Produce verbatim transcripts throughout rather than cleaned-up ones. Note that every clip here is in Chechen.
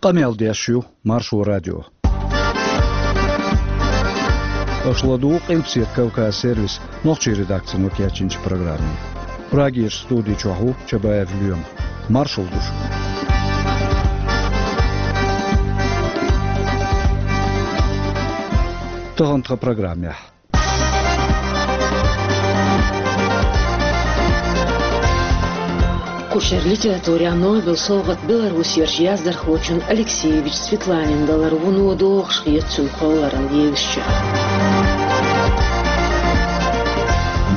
Къамел деш ю Маршо радио. Аша ладугӀу Къилбаседа Кавказ сервисан нохчийн редакцино кечйинчу программе. Прагерчу студи чохь ву Чабаев Лоьма. Маршалла ду шуьга. Тахана тхан программехь. Кху шеран литературехь Нобелан совгӀат белорусерчу яздархочун Алексеевич Светланина далар вуно догӀуш хета цуьнан кхолларалла евзачех.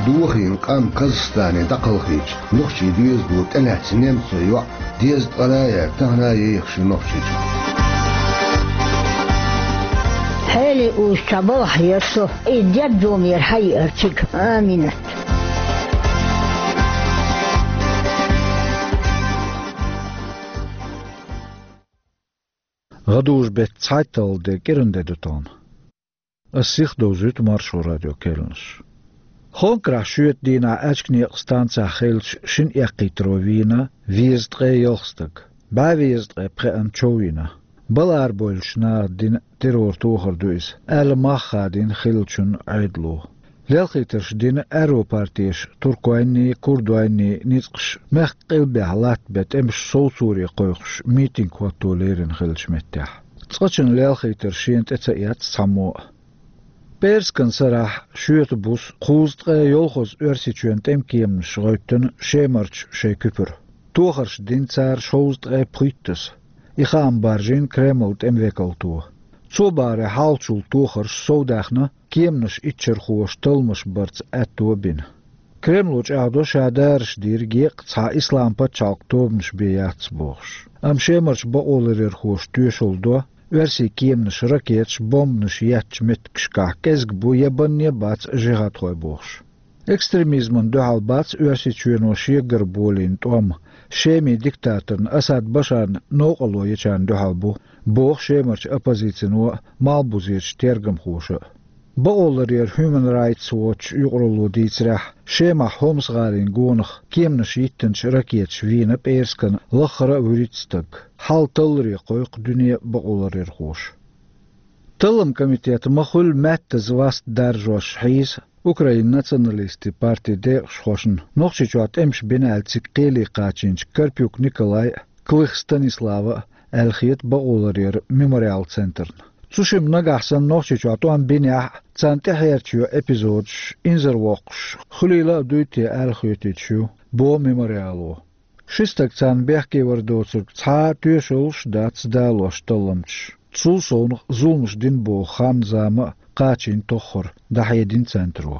Дохийна къам Казахстане дӀакхалхийча, нохчийн доьзало тӀелаьцна немцойн йоӀ дезткъа а яьлла, тахана а йоьхуш ю Нохчийчохь. Хьеле уьш чхьа балхахь яра со, и дерг зумера хьаеара цига. Аминат. ГӀадужу-беттан цхьайтталгӀа де, кӀиран де ду тахана. Ас сиха довзуьйту Маршо радион керланаш. Хонкарахь шоьтан дийнахь Аьчкан некъан станцехь хиллачу шина эккхийтаро вийна везткъе ялх стаг. БӀе везткъе пхеана чов йина. Бала арабевллачу наха дина террор тохар ду иза, аьлла мах хадийна хиллачунна Ӏедало. Лелхийтарш дина аьрру партеша туркойнний, курдойнний ницкъаш мехкан къилбехь латтабен тӀемаш совцоре кхойкхуш митинг хӀотто лерина хиллачу меттехь. Цкъачунна лелхийтар шена тӀе ца эцна цхьаммо а. ПӀераскан сарахь шоьтан буса кхузткъе йолхаза Оьрсийчоьнан тӀеман кеманаш гӀевттина Шемарчу шайн куьпара. Тохарш дина цара шовзткъе пхуьйттаза. И хаам баржийна Кремлан тӀеман векалто. Цо бахаре, хьалхачул тохарш совдаьхна, кеманаш иччархоша талламаш барца аьтто а бина. Кремло чӀагӀдо, ша дараш дийриг еккъа цхьа ислам-пачхьалкхан тобанаш бен яц бохуш. Амма Шемарчу бакъоларъярхоша тоьшалла до, оьрсийн кеманаш ракеташ, бомбанаш еттачу меттигашкахь кӀезиг бу я банне а бац жихӀадхой бохуш. Экстремизмана дуьхьал бац Оьрсийчоьно шегара болийна тӀом, Шеман диктаторна Асад Башарна новкъарло ечарна дуьхьал бу, боху Шемарчу оппозицино а, малхбузерчу тергамхоша а. Бакъоларъяран Human Rights Watch юкъаралло дийцарехь, Шемахь Хомс-гӀалин гонах кеманаш йиттинчу ракеташа вийна пӀераскан лаххара а вуьрхӀитта стаг. Хьал талларе кхойкху дуьне а бакъоларъярхоша. Талламан комитет ма-хуьллу маьттаза васт даржош хьийза Украинан националистийн партин декъашхошна Нохчийчохь тӀемаш бина аьлла цига кхеле кхачийначу Карпюк Николай а, Клых Станислава а, аьлла хета бакъоларъяран Мемориал центрна. Цу шимма нагахь санна Нохчийчохь тӀом бинехь а, царна тӀехьерча йо эпизодаш инзарвоккхуш, хуьлийла а дуй те аьлла хоьтуьйтуш ю, боху Мемориало. Ши стаг царна бехке вар доцург цхьа а тоьшаллаш а дац далош талламчаш. Цул совнаха зуламаш дина боху хан-зама а кхачийна тоххара, дӀахьедина центро.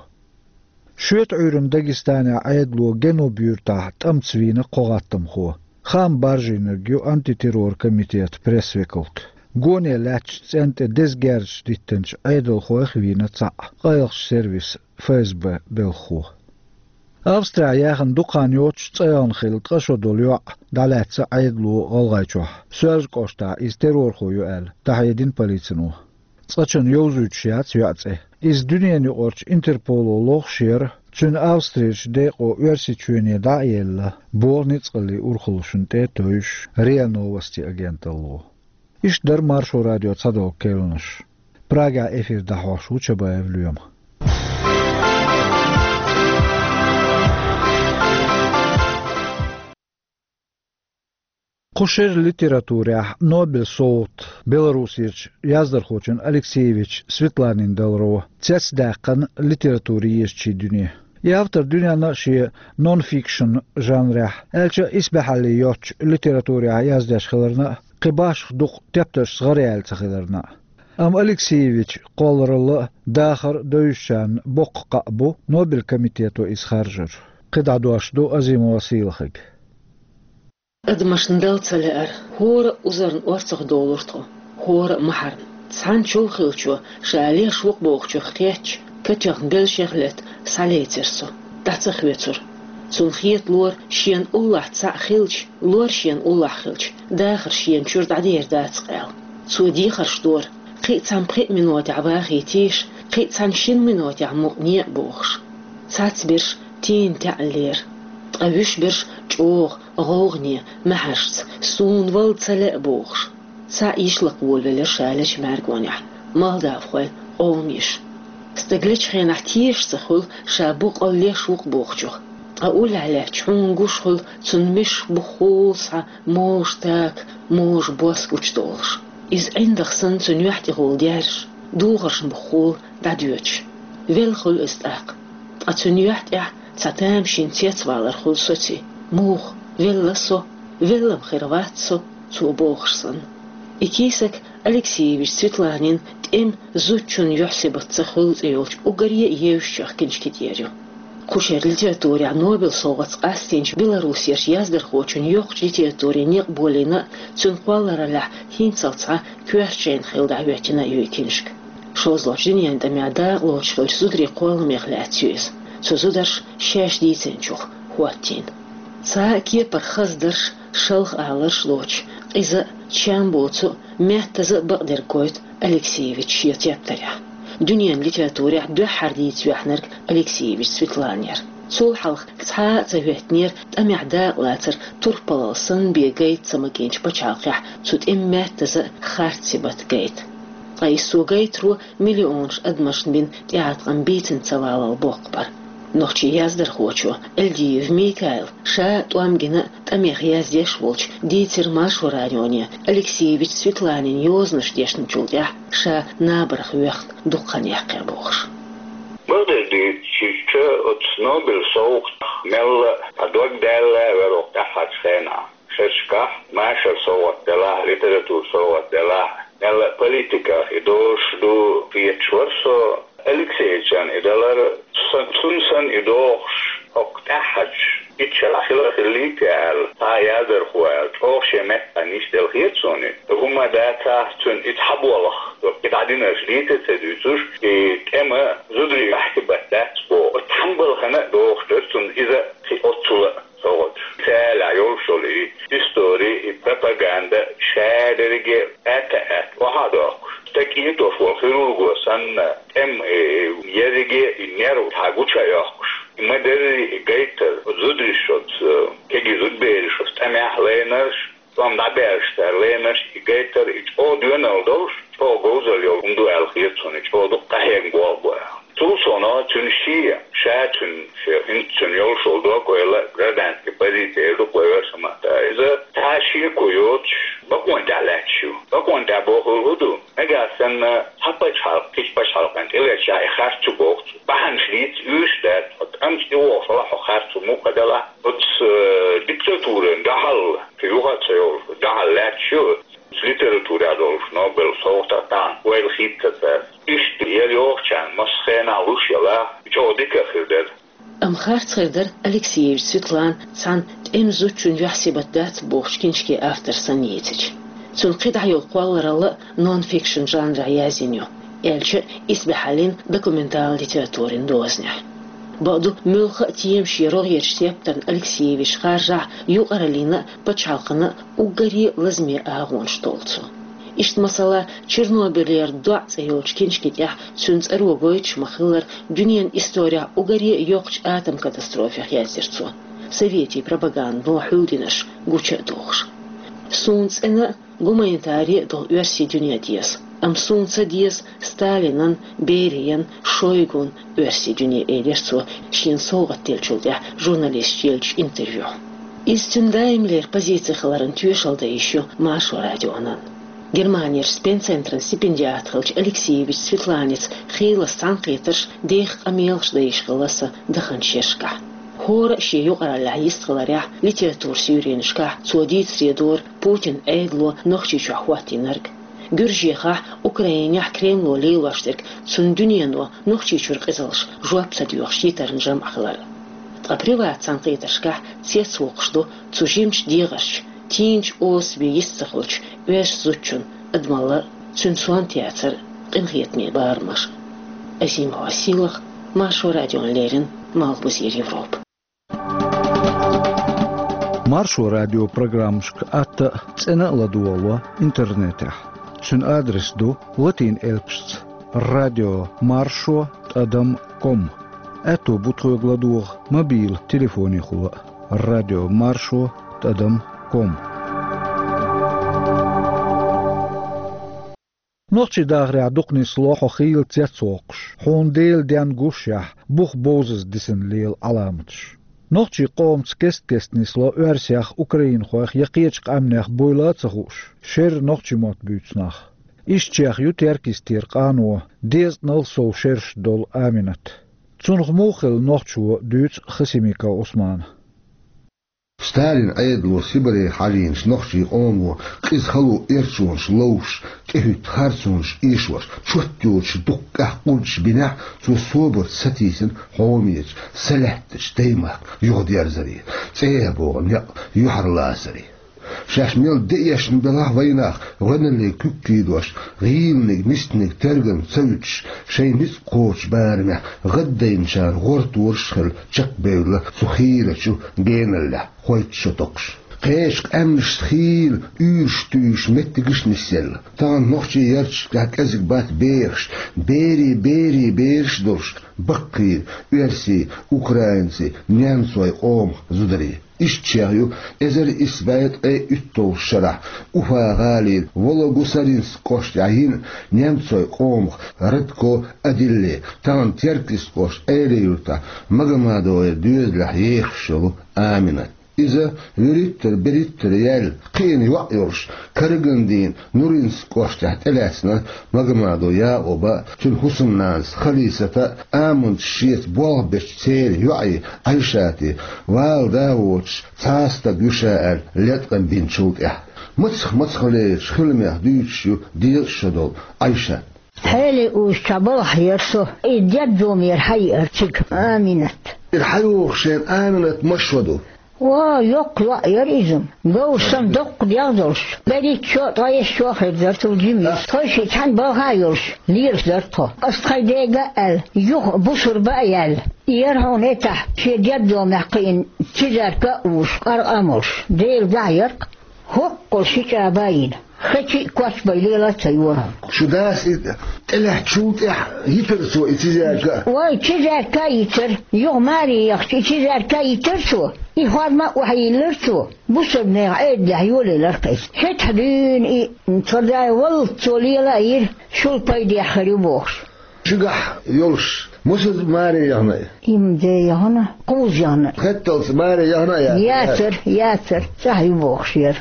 Шоьтан Ӏуьйранна Дагестанехь Ӏедало Генуб-юьртахь тӀамца вийна кхо гӀаттамхо. Хаам баржийнарг ю антитеррор комитетан пресс-векалт. Гоне лаьттачу цӀен тӀе деза герзаш диттинчу Ӏедалхойх а вийна цхьаъ, къайлахчу сервисан ФСБ белхахо. Австрехь яьхна дукха хан йоццуш цӀа яьлла хилла ткъа шо долу йоӀ дӀалаьцна Ӏедало ГӀалгӀайчохь. Соьлжа кӀоштахь иза террорхо ю аьлла, дӀахьедина полицино. Цкъачунна йовзуьйтуш яц йоьӀан цӀе. Иза дуьненаюкъарчу Интерполо лохуш яра, цуьнан Австрерчу декъо Оьрсийчоьне дӀа а елла, боху ницкъаллийн урхаллашна тӀе а тевжаш РИА Новости агенталло. Иштта дара Маршо радион цхьадолу керланаш. Прагехь эфир дӀахьош ву Чабаев Лоьма. Кху шеран литературехь Нобелан совгӀат Беларусерчу яздархочун Алексеевич Светланин даларо цецдаьккхина литературан езачийн дуьне. И автор дуьненна а шен нон-фикшн жанрехь, аьлча а исбаьхьалле йоцучу литературехь яздеш хиларна а, кхин башха дукха тептаршца гӀараяьлла ца хиларна а. Амма Алексеевичан кхолларалла а, дахар а девзачарна боккха кхаъ бу Нобелан комитето иза харжар. КхидӀа дош ду Азимова Сийлахьига. Адамашна Далла ца лаьара, хӀора а узарна орцах долура тхо, хӀора а махьарна. Цхьана чов хиллачо ша леш ву-кх бохучух кхетча, катоьхна белшех летта схьалецира со, дӀа ца хоьцура. Цунна хеталора, шена уллохь цхьаъ хилча, лор шена уллохь хилча, дахар шена чуьра дӀадер дац-кх аьлла. Цо дехарш дора, кхин а цхьана пхи а минотехь вахийтийша, кхин а цхьана шина минотехь мукъане а бохуш. Цхьацберш тийна таьӀаллера, ткъа вуьшберш чӀогӀа гӀовгӀане, маьхьаршца, суна вала ца лаьа бохуш. Цхьаъ йишлакх волавелира ша лечу мӀаьргонехь, молдавхойн къоман йиша. Стаг лечу хенахь тешаш ца хуьлу, ша боккъал леш ву-кх бохучух. Ткъа уллехь лаьтташ хьуна гуш хуьлу цунна мешах бухахула схьа можа така, можа бос гучудолуш. Иза ӀиндагӀ санна цуьнан юьхь тӀехула даьржаш, духаршна бухахула дӀадоьдуш. Велла хуьлу иза тӀаккха. Ткъа цуьнан юьхь тӀехь цхьа тамашийна цецвалар хуьлу соций. Муха, велла со, велла-м хир вац со, цо бохуш санна. И кийсак Алексеевич Светланин «ТӀеман зудчун юьхь-сибат ца хуьлу» цӀе йолчу уггаре а евзачех киншки тӀера ю. Кху шеран литературехь Нобелан совгӀатца къастийначу Беларусерчу яздархочун йоккхачу литературин некъ болийна а, цуьнан кхоллараллехь хӀинццалц цхьа коьртачу жайна хилла дӀахӀоьттина а ю и киншка. ШозлагӀчу дуьненан тӀамехь дакъалоцуш хиллачу зударийн кхолламех лаьцна ю иза, цу зударша шаьш дийцинчух хӀоттийна. Цхьа а кепара хаза дарш, шалха аларш лоцуш, къиза а, чам боцу а, меттаза а бакъдерг гойту Алексеевича шен тептарехь. Дуьненан литературехь дуьххьара дийца ваьхьнарг Алексеевич Светлана яра. Цул хьалха цхьа а ца хӀоьттинера тӀамехь дакъалацар турпалалла санна бен гайта ца магийначу пачхьалкхехь цу тӀеман меттаза а харц сибат гайта. Ткъа иза цо гайтаро миллионаш адамашна бина тӀеӀаткъам бийцина ца валалла боккха бара. Нохчийн яздархочо Эльдиев Микаила, ша а тӀом гина а, тӀамех яздеш а волчу, дийцира Маршо радионе Алексеевич Светланин йозанаш дешначул тӀаьхьа ша набарх воьхна дукха хан яьккхина бохуш. Бакъдерг дийцича, оцу Нобелан совгӀатах мелла а дог даьлла вара оха тӀаьххьарчу хенахь. Шерашкахь машаран совгӀат делахь, литературан совгӀат делахь, мелла а политиках и дозуш ду хеташ вара со. Алексеевичан и далар, сан-, цунна санна и догӀуш, хӀокху тӀаьххьарчу итт шарахь хила а хиллий те аьлла, цхьа а яздархо аьлла, чӀогӀа шен меттан йиш делла хета суна и. ХӀумма дацахь, цуьнан и цхьа болх, и дӀадинарш дийца а ца дуьйцуш, и тӀема зударийн юьхь-сибат дац боху, оцу цхьана балхана а догӀуш дара цунна иза кхин оццул а. СовгӀат. Цаьллахь йолуш йолу и истори, и пропаганда ша дерриге а атта а атта, охьа а доккхуш. Стаг кӀийтош волу хирурго санна, тӀем, э, ерриге а и нерв цхьа гуча а йоккхуш. И ма-дарри и гайтар, зударша оцу, кегий зудбераш оцу тӀамехь лайнарш, тӀом дӀабаьлча цара лайнарш, и гайтар, и чӀогӀа доьналла долуш, чӀогӀа говзалла йолу хӀума ду аьлла хета суна, и чӀогӀа дукха къахьегна болх бу аьлла. Цул сов цуьнан шен, ша цуьнан, шен, хӀинца цуьнан йолуш йолу дог ойла гражданский позиция ду-кх вай оьрсийн маттахь. Иза цхьа шеко йоцуш, бакъонна тӀехь лаьтташ ю. Бакъонна тӀехь бохург хӀун ду? Нагахь санна цхьа пачхьалкх кхечу пачхьалкхана тӀелаьцчахь и харц ю боху цо. Бахьанаш дийца уьш дац, хьо тӀамца тӀевогӀуш хилахь, хьо харц ву мукъа делахь. Оцу, э, диктатурина дуьхьал, кхин юха а ца йолуш, дуьхьал лаьтташ ю. Литературехь долуш Нобелан совгӀатах тахана ойла хийццац ас. Иштта яла йогӀучарна массо а хенахь луш ялахь, чӀогӀа дика а хир дара. Амма харц хир дара Алексеевич Светлана цхьана тӀеман зудчун юьхь-сибат дац бохучу киншкин автор санна йийцича. Цуьнан кхидӀа йолу кхолларалла а нон-фикшн жанрехь язйина ю, аьлча а исбаьхьаллин документал литературин дозанехь. Бакъду, муьлхха а тема шен рогӀерчу тептарна Алексеевич харжахь, юкъараллина а, пачхьалкхана а уггаре а лазаме агӀонаш толлу цо. Иштта, масала, «Чернобылера доӀа» цӀе йолчу киншки тӀехь цуьнан цӀаро гойтуш ма-хиллара, дуьненан исторехь уггаре а йоккхачу атом катастрофех яздира цо, советийн пропагандано хьулдинарш гуча а дохуш. Суна цӀена а, гуманитари а долу оьрсийн дуьне деза, амма суна ца деза Сталинан, Бериян, Шойгун оьрсийн дуьне, элира цо шена совгӀат деллачул тӀаьхьа журналисташка еллачу интервьюхь. Иза цуьнан даимлера позици хиларан тоьшалла дан йиш ю Маршо радионан. Германерчу Спенн-центран стипендиат хиллачу Алексеевич Светланица хийлас цхьаьнакхетарш, деха къамелаш дан йиш хилла сан даханчу шерашкахь. ХӀора а шен юкъараллехь йистхиларехь, литературан суьйренашкахь цо дийцаре дора Путинан Ӏедало Нохчийчохь хӀоттийнарг, Гуьржехахь, Украинехь Кремло лелош дерг цуьнан дуьнено Нохчийчуьра къизаллаш жоп ца доьхуш йитаран жамӀ хилар. Ткъа приват цхьаьнакхетаршкахь цецвоккхуш ду цу жимачу дегӀарчу, тийначу особе йист ца хуьлучу оьрсийн зудчун адамалла а, цуьнан сонта яцар а, къинхетаме барамаш а. Азимова Сийлаха, Маршо радиона леррина, Малхбузера Европа. Маршо радион программашка атта а, цӀена а ладогӀало интернетехь. Цуьнан адрес ду латин элпашца: радио маршо тӀадам ком. Аьтто бу тхоьга ладогӀа мобилан телефонехула а: радио маршо тӀадам ком. Нохчийн дахарехь дукха нисло хьо хийла цецвоккхуш, хьуна Делан денна гуш яхь, бух бовзаза дисина лела Ӏаламаташ. Нохчийн къомаца кест-кеста нисло оьрсех, украинхойх я кхечу къаьмнех буйла а ца хууш, шерра нохчийн мотт буьйцу нах. Ишттачех ю Теркйистера къано, дезткъанал сов шераш долу Аминат. Цунах муха хилла нохчо, дуьйцу Хасимиков Ӏусмана. Сталин Ӏедало Сибаре хьажийначу нохчийн къомо къиза хало эрчонаш ловш, тӀехӀуьтту харцонаш эшош, чот йоцуш дуккха къурдаш бинехь, цо собарца сатийсина хьомечу, салаьттачу даймахка юхадерзаре, цӀе а богӀу некъ юьхьарлацаре. Шаьш мел де эшна белахь а вайнах, гӀоьналле куьг кийдош, гӀийланиг, мистаниг тергам ца вуьтуш, шайн ницкъ кхочучу барамехь гӀаддайначарна гӀортораш а хилла чекхбевлла цу хийрачу геналлехь, хойтта шо токхуш. Кхечу къаьмнашца хийла уьйраш туьйсуш меттигаш а нисъелла. Тахана нохчийн ярташкахь кӀезиг бац бераш, берийн берийн бераш а долуш, баккхий, оьрсийн, украинцийн, немцойн къомах зударий. Ишттачех ю эзар исс бӀе ткъе уьтталгӀачу шарахь Уфа-гӀалин Вологусаринск кӀоштехь йина немцойн къомах Радко Адилле, тахана Теркйист кӀоштан Ӏелин-Юьртахь Магомадовгара доьзалехь ехаш йолу Аминат. Иза вуьриттара-бериттара яьлла, кхиъна йоӀ йолуш, караган дийнахь Нуринск кӀоштехь тӀелаьцна Магомадов Якъуба, цуьнан хӀусамнанас Халисата, аманчаш шеца болх бечу церан йоӀе Ӏайшате, вала да а воцуш, цхьа а стаг ву ша аьлла, леткъам бинчул тӀаьхьа. Мацах-мацахлерачу хиламех дуьйцуш ю дезткъа шо долу Ӏайшат. Хьеле узучохь балхахь яра со, и дердомера хьаеара цига Аминат. Ира хьайогӀуш шена Аминат мас шо ду? Ва, йоккха лоӀ яра иза. Говр санна доккха дегӀ долуш. БерхӀитта шо, ткъайесна шо хир дара цул жима. Тхойшиъ цхьаьна балхахь а йолуш, лелаш дара тхо. Ас тхайн дега а аьлла, юха бусурба а яьлла. И яра хьуна этахь, шен дердомехь кхиъна, цизарка а вуш, къаркъа а молуш, Делан дуьхьа яра-кх. ХӀоккхул ши чӀаба а йина, хечи а, кочбай лела а ца йора. Шу дас и тӀелаьцначул тӀаьхьа йитира цо и цизарка а? Вай, цизарка а йитира. Юха маре яхча, и цизарка а йитира цо. И хорма а охьайиллира цо. Бусалба нехан Ӏедалехь йолаелира-кх иза. ХӀетахь дуьйна и, тхан дай валлалц цо лела а йира, шул пайдехь хир ю бохуш. Шуьгахь йолуш, муьлхха маре яхна и? Има де яхна, кхузза яхна. Хетталц маре яхна а яц? Яцара, яцара, цӀахь ю бохуш яра.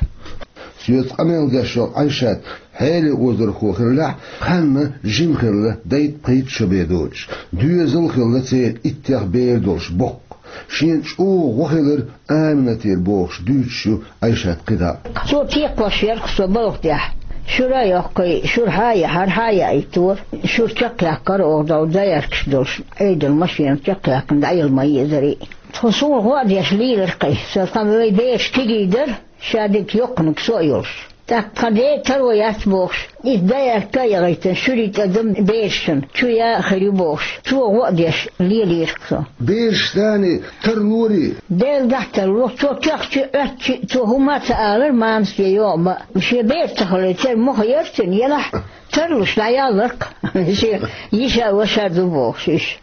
Соьца къамел деш йолу Ӏайшат хьеле озархо хиллехь, ханна жима хилла дайтта-пхийтта шо бен доцуш, доьзал а хилла церан иттех бер долуш боккха. Шена чӀогӀа гӀо хилира Аминатера бохуш дуьйцуш ю Ӏайшат кхидӀа. Цо текхош яра-кх со балха тӀехь. Шура а йоккхий, шура хьа а яхьара, хьа а яийтора. Шура чекхъяьккхира оха долу даяркаш долуш, Ӏедалан машенах чекхъяьккхина дӀаелла ма езарий. Тхо суна гӀо а деш лийлира-кх и. Сан хан вай бераш кегий дара, ша дика йоккханиг со а йолуш. ТӀаккха тхан ден таро яц бохуш, иза даярка а яхийтина, шуьрий тӀе дан берашна чу я а хир ю бохуш, цо гӀо а деш лелийра-кх со. Бераш дани тарлорий? Делан дуьхьа тарло, цо тоьхча а, Ӏоьттича а, цо хӀума а ца алара, мамас я йоӀа ма. Шен бер ца хилла, церан мохь яра цуьнан, елахь, тарлуш дӀаяллара-кх. Шен йиша а, ваша а ду бохуш уьш.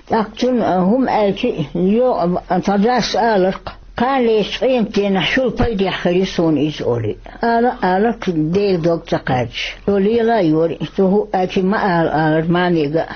ТӀаккха цунна хӀума аьлча а, йоӀа ма, тхан дас алара-кх. Кхана лечу къематдийнахь шул пайдехь хир ю суна иза олий. Ала а алара-кх Делан дог ца кхаьчча. Цо лела а йора, цо хӀуъа аьлча ма ала алара мамига а.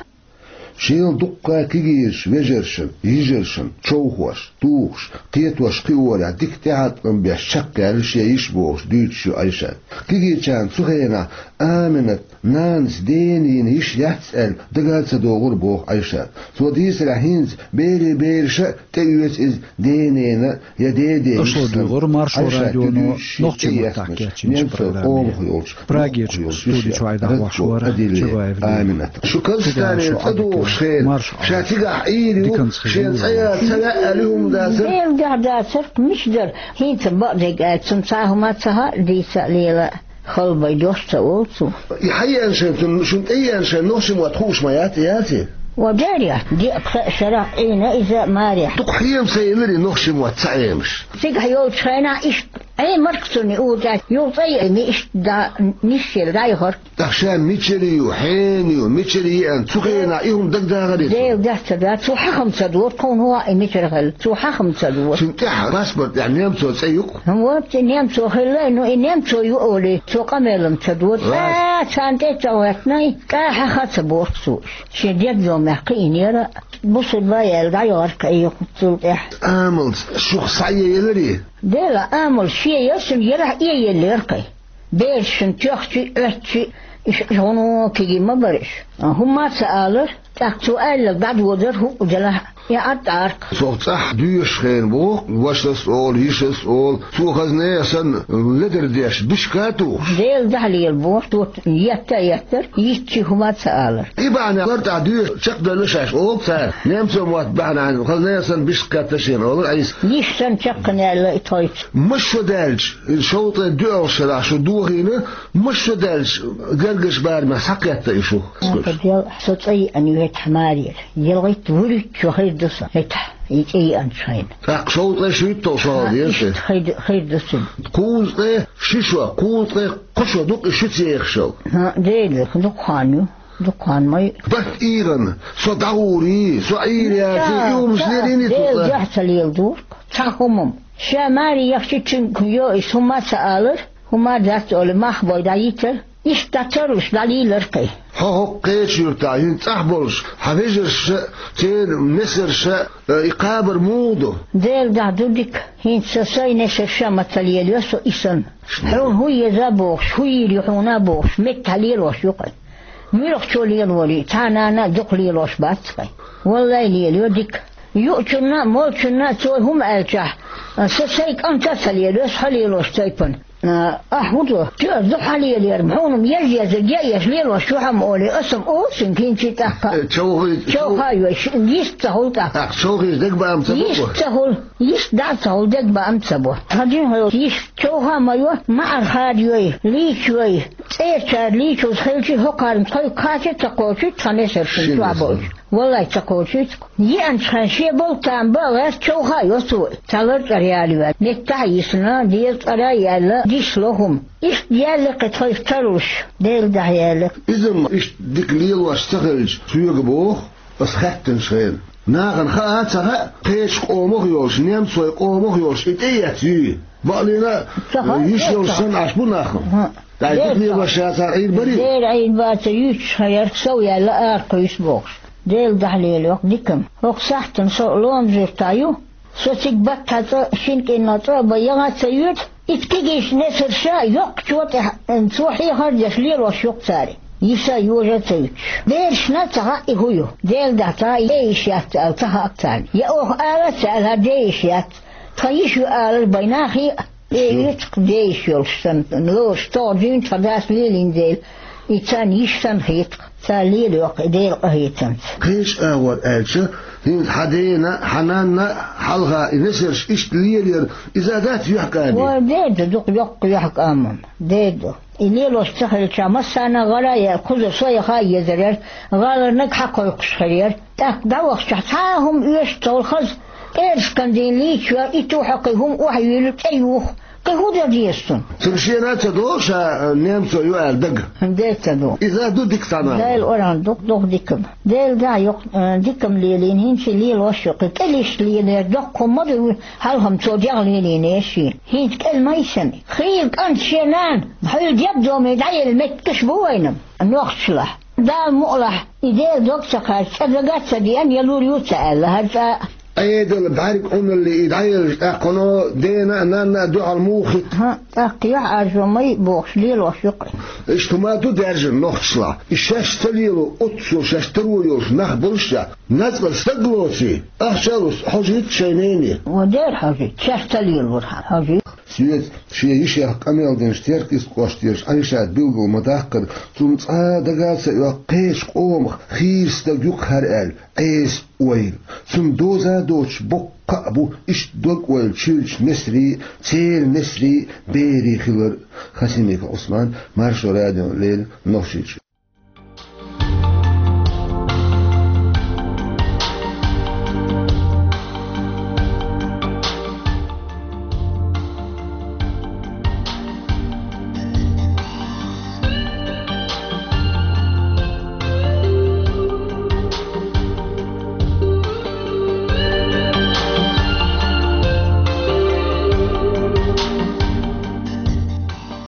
Шел дуккха а кегийраш вежаршна, йижаршна, човхош, тухуш, кхетош кхиорехь дика тӀехьаткъам беш чекхъяьлла шен йиша бохуш дуьйцуш ю Ӏайшат. Кегийчарна цу хенахь Аминат нанас дена йина йиша яц аьлла дага а ца догӀура боху Ӏайшат. Цо дийцарехь, хӀинца берийн бераша а тӀеоьцу иза ден-ненан я ден-ден йиша санна. Аша ладуьйгӀура Маршо радионо нохчийн маттахь кечйинчу программе. Прагерчу студи чуьра вахаш вара Чабаев Леви. Шу Казахстане тӀедогӀуш хенахь, ша цигахь Ӏийр ю, шен цӀа яла ца ваьа аьлла хӀума дацара? Делан дуьхьа дацара-кх, мича дара. ХӀинца бакъдерг аьлча, цунна цхьа хӀума ца хаьа, дийца а лела а. Халбай дош ца олу цо. И хьаеана шайна, цунна, шуна тӀееана шайна нохчийн мотт хууш ма яц, яций? Ва дера яц, диъ-пхи шарахь Ӏийна иза марехь. Дукха хьема ца елира и нохчийн мотт ца Ӏемаш. Цигахь йолчу хенахь иштта Ӏемарг цунна и ур тӀехь, юха цӀа йиъна иштта да-, нисъелла дӀайохура. ТӀаккха ша мичара ю, хьенан ю, мичара еана, цу хенахь и хӀума дагадахарий цунна? Делан дуьхьа ца дац, цо хьаха-м ца дора, тхуна хӀун хаьа и мичара хилла, цо хьаха-м ца дора. Цуьнан тӀехь паспорт тӀехь немцо цӀе ю-кх. Вот, и немцо хилла, ну и немцо ю олий, цо къамел-м ца дора. Царна тӀе а ца гӀоьртина, кӀахьа ха ца боху цо. Шен дегдомехь кхиънера, бусурба яьлла дӀайогӀарх айхуццул тӀехь. Амалца шух схьаелларий? Дела, амал шен ясна ярахь а еллера кхин. Бераш шун тоьхчи, Ӏоьттичи, иш гӀуно киги ма бара иш. ХӀумма а ца алар, тӀаккха цо аьлларг дӀадодар хӀуъу делахь а, и Ӏад Ӏаркх. Цо цӀахь доьшуш хенахь боху, вашас а олу, йишас а олу, цо хазна а санна, ледар деш, бишка а тухуш. Дела дуьхьа лела боху, цо етта а еттара, йитчи хӀума а ца алара. И бахьана лар тӀехь доьшуш чекхдевлла шаьш олу цара. Немцойн мотт бахьана хазна а санна бишка кхетта шена олу Ӏийса. Йиш санна чекхна яьлла и тхоьца. Маша даьлча, и шовзткъе доьалгӀачу шарахь шу дохийна, маша даьлча, гергарчу барамехь схьакхетта и шу? Со цӀа йиъна ю хӀетахь марера. ЯлгӀитта вуьрхӀитта шо хир ду сан хӀетахь, и цӀа йиъначу хенахь. ТӀаккха шовзткъе шуьйтталгӀа шо хьалха деза те? Хир ду, хир ду сан. Кхузткъе ши шо, кхузткъе кхо шо ду-кх и шуьца ехаш йолу. ХӀаъ, Дела, дукха хан ю, дукха хан ма ю. Барт ийгӀана, со дӀагӀур ю, со Ӏийр яц, и хӀумаш лелийний цо? Дела дуьхьа ца леладора-кх цхьа хӀума-м. Ша маре яхча, цуьнга йо, иза хӀума а ца алара, хӀума а дац олий, мах бой дӀайитара. Иштта дӀа ца луш, дӀалийлар кхин. Хьо хӀокху кхечу юьртахь хӀинца цӀахь болуш, хьан вежарша а, церан несарша а, и кхабар муха ду? Дела дуьхьа ду дика, хӀинца сан сайн несарша а ма ца лелайо со и санна. Хьуна хӀун еза а бохуш, хӀун йийр ю хьуна а бохуш, меттахь лелош ю кхин. Муьлххачо лелорий, цхьа нана а дукха лелош бац кхин. Валлай, лелайо дика. Юучунна а, молчунна а цо хӀума аьллачохь, сан сайн кӀанта а ца лелайо, аса хьо лелош тайпана. А, ахь хӀун до? Чу аса ду хьан лелера, хьуна-м еза-езарг яа еш лелош ю хьо-м олий, аса-м олу цуьнга хӀинца тӀаккха. Э, човхий, чов-, човхий йой, йист ца хуьлу тӀаккха. ТӀаккха човхийчу дегабаам ца бу? Йист ца хуьлу, йист дӀа а ца хуьлу, дегабаам ца бо. Хьан дин хьо йист човха ма йо, маӀар хадайой, лийчой, цӀерачара лийчалц хилчий, хӀокхарна тхойга кхача а ца кхочуьйту тхан несаршна чохь болчу. Валлай, ца кхочуьйту-кх. Еанчу хенахь шен болу тама бан а гӀерта човха а йо цо, цхьа лар цӀара ялаваьлла, меттахь а йисина, деза цӀара а яьлла, диш ло хӀума. Иштта яьлла кхин тхайх ца луш, Дела дуьхьа яьлла. Иза-м иштта дика лелош ца хилча, соьга боху, ас хаьттинчу хенахь. Нахана хаа а ца хаьа, кхечу къомах а йолуш, немцойн къомах а йолуш, и тӀеэцна юй. Бакъ лина, ца хаьа, йиш йолуш санна Ӏаш бу нах. ТӀаккха дика лелош ша цара Ӏийр барий? Дера Ӏийр бацара, юьйцуш хьаярх сов яьлла ара кхуьйсу бохуш. Дела дуьхьа лелайо-кх дика-м. ХӀокху сахьтана со Ломан-Юьртахь ю. Со цига баттахь цӀа, шина кӀиранах цӀа а бан, ян а ца йоьду. Итт кегийчу несарша йоккхачо тӀехь, цо хьехар а деш лелош ю-кх цара. Йиша а, йожа а ца юьтуш. Берашна а ца хаьа и хӀун ю. Дела дуьхьа ца хаьа, е йиш яц аьлла ца хаьа-кх царна. Я оха ала а ца аьлла, хӀара де йиш яц. Тхан йиш ю алар бен нахе а, э, юьцу-кх де йиш йолуш санна, лоруш тӀе а дуьйна тхан дас лелийна дела, и царна йиш санна хета-кх, цара лелайо-кх и Делан къинхетамца. Кхечу агӀор аьлча, хӀинца хьан дена а, хьан нанна а хьалха и несарш иштта лелаяр, иза дац юьхькӀаде? Вай, дер ду, дукха йоккха юьхькӀам-м, дер ду. И лелош ца хилча, массарна а гӀара а яьлла, кхузара со яха а езар яра, гӀаларниг хьакхойкхуш хир яра. ТӀаккха дӀавахчахь, цхьа а хӀума оьшуш ца хуьлу хаза, пӀераскан дийна лийча йо, и ту хьо кхин хӀума охьайуьйлу, тӀеюху, кхин хӀун дан деза цунна? Цуьнан шена а ца до ша, а, немцо ю аьлла дага? Де ца до. Иза ду дика цхьана. Дела оран дукха, дукха дика-м. Дела даьхьа йоккха, а, дика-м лелийна, хӀинца лелош ю кхин. КӀел иштта лелаяр доккха хӀума ма ду, хьалха-м цо дегӀ лелийнера шена. ХӀинца кӀел ма йисина. Хийла кӀант шен нана, хьуьлла дегдоме дӀаелла меттигаш бу вайна-м нохчашлахь. Дала мукъалахь, и Делан дог ца кхаьчча, цкъа дага а ца деана, я лур ю ца аьлла, хӀара цкъа а. Ӏедал, бӀаьрг Ӏуналле и дӀаелча, тӀаккха хьуна дена а, нанна а дуьхьал муха хӀитта? ХӀаъ, тӀаккха юьхьӀаьржо ма йиъ бохуш лелош ю кхин. Иштта хӀума ду даьржина нохчашлахь. И шаьш ца лело, оццул шаьш таро йолуш нах боллушехь, нацкъала стаг лоций, ахча а луш, хьожуьйту шайн нене. Ва дера хьожуьйту, шаьш ца лелорхьама хьожуьйту. Соьца шен йишех къамел динчу Теркйист кӀоштарчу Ӏайшата билгал ма-даккхара, цунна цкъа а дага а ца оьху кхечу къомах хийра стаг ю-кх хӀара аьлла, Ӏеса ойла. Цунна доза а доцуш боккха кхаъ бу иштта дог-ойла чуьйрачу несарий а, церан несарий а, берий а хилар. Хасимиков Ӏусман, Маршо радиона леррина, Нохчийчоь.